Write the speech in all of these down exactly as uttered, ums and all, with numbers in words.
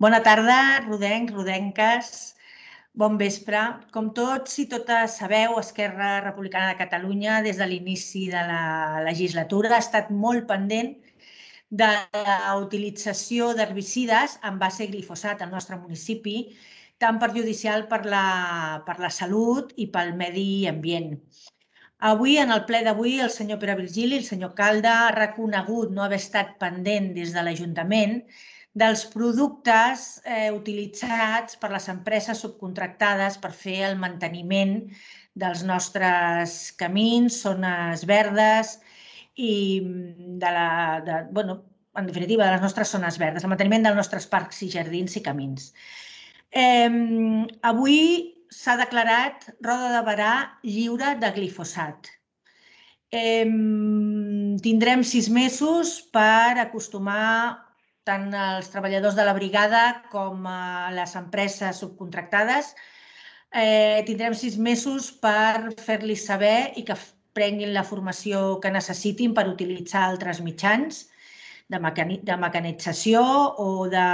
Bona tarda, rodencs, rodenques, bon vespre. Com tots i totes sabeu, Esquerra Republicana de Catalunya, des de l'inici de la legislatura, ha estat molt pendent de la utilització d'herbicides en base a glifosat al nostre municipi, tan perjudicial per la, per la salut i pel medi ambient. Avui, en el ple d'avui, el senyor Pere Virgili, el senyor Calda, ha reconegut no haver estat pendent des de l'Ajuntament dels productes eh, utilitzats per les empreses subcontractades per fer el manteniment dels nostres camins, zones verdes i de la, de, bueno, en definitiva, de les nostres zones verdes, el manteniment dels nostres parcs i jardins i camins. Eh, avui s'ha declarat Roda de Berà lliure de glifosat. Eh, tindrem sis mesos per acostumar tant els treballadors de la brigada com a les empreses subcontractades. Eh, tindrem sis mesos per fer-los saber i que prenguin la formació que necessitin per utilitzar altres mitjans de, mecani de mecanització o de,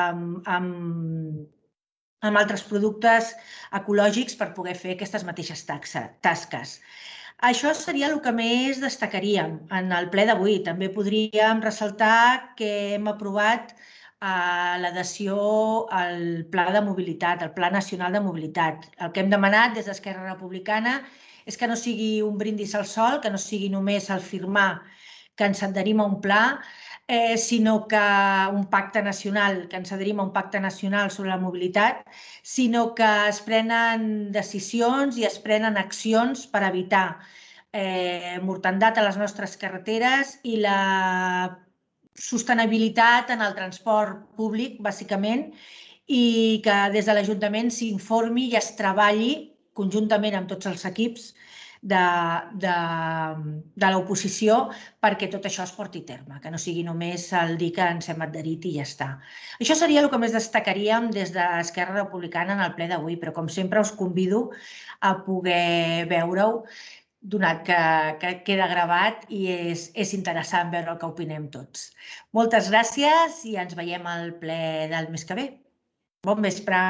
amb, amb altres productes ecològics per poder fer aquestes mateixes tasques. Això seria el que més destacaríem en el ple d'avui. També podríem ressaltar que hem aprovat l'adhesió al Pla de Mobilitat, al Pla Nacional de Mobilitat. El que hem demanat des d'Esquerra Republicana és que no sigui un brindis al sol, que no sigui només el firmar que ens adherim a un pla, eh, sinó que un pacte nacional, que ens adherim a un pacte nacional sobre la mobilitat, sinó que es prenen decisions i es prenen accions per evitar eh, mortandat a les nostres carreteres i la sostenibilitat en el transport públic, bàsicament, i que des de l'Ajuntament s'informi i es treballi conjuntament amb tots els equips de, de, de l'oposició perquè tot això es porti a terme, que no sigui només el dir que ens hem adherit i ja està. Això seria el que més destacaríem des d'Esquerra Republicana en el ple d'avui, però com sempre us convido a poder veure-ho, donat que, que queda gravat i és, és interessant veure el que opinem tots. Moltes gràcies i ens veiem al ple del mes que ve. Bon vespre.